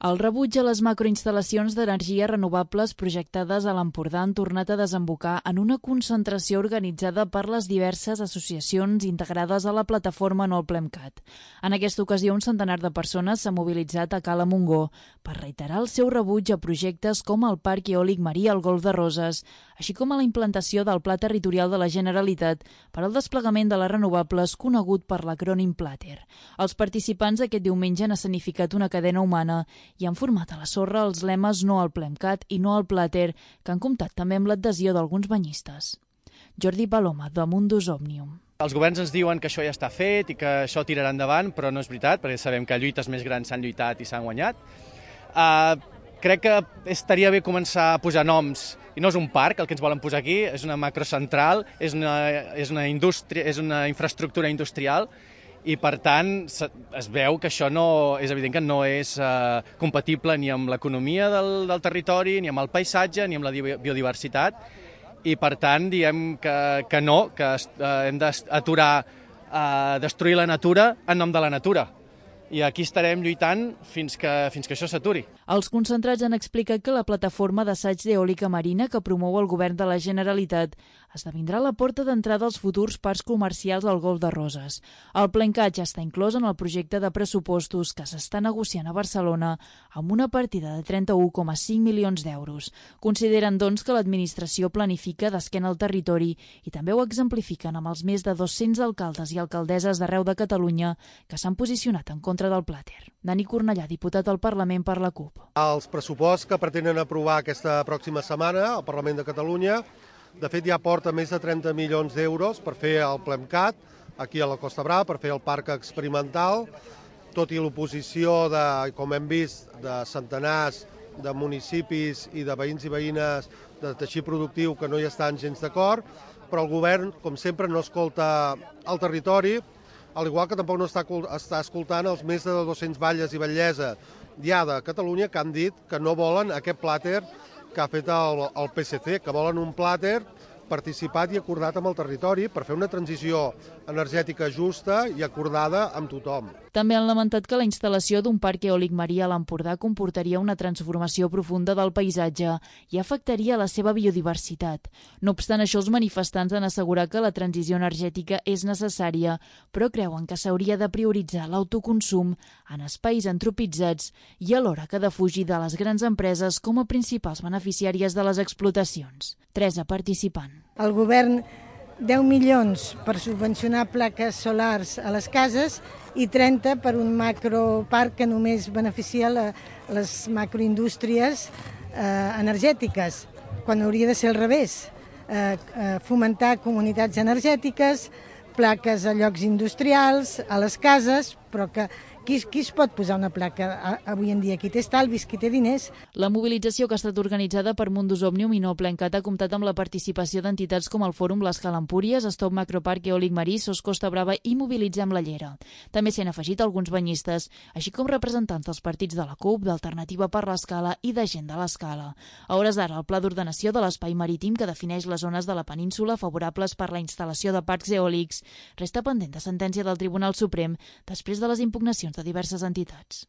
El rebuig a les macroinstal·lacions d'energia renovables projectades a l'Empordà han tornat a desembocar en una concentració organitzada per les diverses associacions integrades a la plataforma No al Plemcat. En aquesta ocasió, un centenar de persones s'ha mobilitzat a Cala Montgó per reiterar el seu rebuig a projectes com el Parc Eòlic Marí al Golf de Roses, així com a la implantació del Pla Territorial de la Generalitat per al desplegament de les renovables conegut per l'acrònim PLATER. Els participants aquest diumenge han escenificat una cadena humana i han format a la sorra els lemes No al Plemcat i No al PLATER, que han comptat també amb l'adhesió d'alguns banyistes. Jordi Paloma, de Mundus Omnium. Els governs ens diuen que això ja està fet i que això tirarà endavant, però no és veritat, perquè sabem que lluites més grans s'han lluitat i s'han guanyat. Crec que estaria bé començar a posar noms, i no és un parc el que ens volen posar aquí, és una macrocentral, és una indústria, és una infraestructura industrial, i per tant es veu que això és evident que no és compatible ni amb l'economia del territori, ni amb el paisatge, ni amb la biodiversitat, i per tant diem que no, que hem d'aturar destruir la natura en nom de la natura. I aquí estarem lluitant fins que això s'aturi. Els concentrats han explicat que la plataforma d'assaig d'eòlica marina que promou el govern de la Generalitat esdevindrà la porta d'entrada als futurs parcs comercials al Golf de Roses. El Plemcat ja està inclòs en el projecte de pressupostos que s'està negociant a Barcelona amb una partida de 31,5 milions d'euros. Consideren, doncs, que l'administració planifica d'esquena al territori i també ho exemplifiquen amb els més de 200 alcaldes i alcaldesses d'arreu de Catalunya que s'han posicionat en contra del PLATER. Dani Cornellà, diputat al Parlament per la CUP. Els pressuposts que pretenen aprovar aquesta pròxima setmana al Parlament de Catalunya, de fet ja porta més de 30 milions d'euros per fer el Plemcat, aquí a la Costa Brava, per fer el parc experimental, tot i l'oposició, com hem vist, de centenars de municipis i de veïns i veïnes de teixit productiu que no hi estan gens d'acord, però el govern, com sempre, no escolta el territori, al igual que tampoc no està escoltant els més de 200 batlles i batllessa ja de Catalunya que han dit que no volen aquest plàter que ha fet el PSC, que volen un plàter participat i acordat amb el territori per fer una transició energètica justa i acordada amb tothom. També han lamentat que la instal·lació d'un parc eòlic marí a l'Empordà comportaria una transformació profunda del paisatge i afectaria la seva biodiversitat. No obstant això, els manifestants han assegurat que la transició energètica és necessària, però creuen que s'hauria de prioritzar l'autoconsum en espais antropitzats i alhora que defugir de les grans empreses com a principals beneficiàries de les explotacions. Teresa, participant. El govern 10 milions per subvencionar plaques solars a les cases i 30 per un macroparc que només beneficia les macroindústries energètiques, quan hauria de ser al revés. Fomentar comunitats energètiques, plaques a llocs industrials, a les cases, però que qui es pot posar una placa avui en dia? Qui té estalvis, qui té diners? La mobilització, que ha estat organitzada per Mundus Omnium i No al Plemcat, ha comptat amb la participació d'entitats com el Fòrum l'Escala Empúries, Stop Macroparc Eòlic Marí, SOS Costa Brava i Mobilitzem la Llera. També s'hi han afegit alguns banyistes, així com representants dels partits de la CUP, d'Alternativa per l'Escala i de Gent de l'Escala. A hores d'ara, el Pla d'Ordenació de l'Espai Marítim, que defineix les zones de la península favorables per la instal·lació de parcs eòlics, resta pendent de sentència del Tribunal Suprem després de les impugnacions de diverses entitats.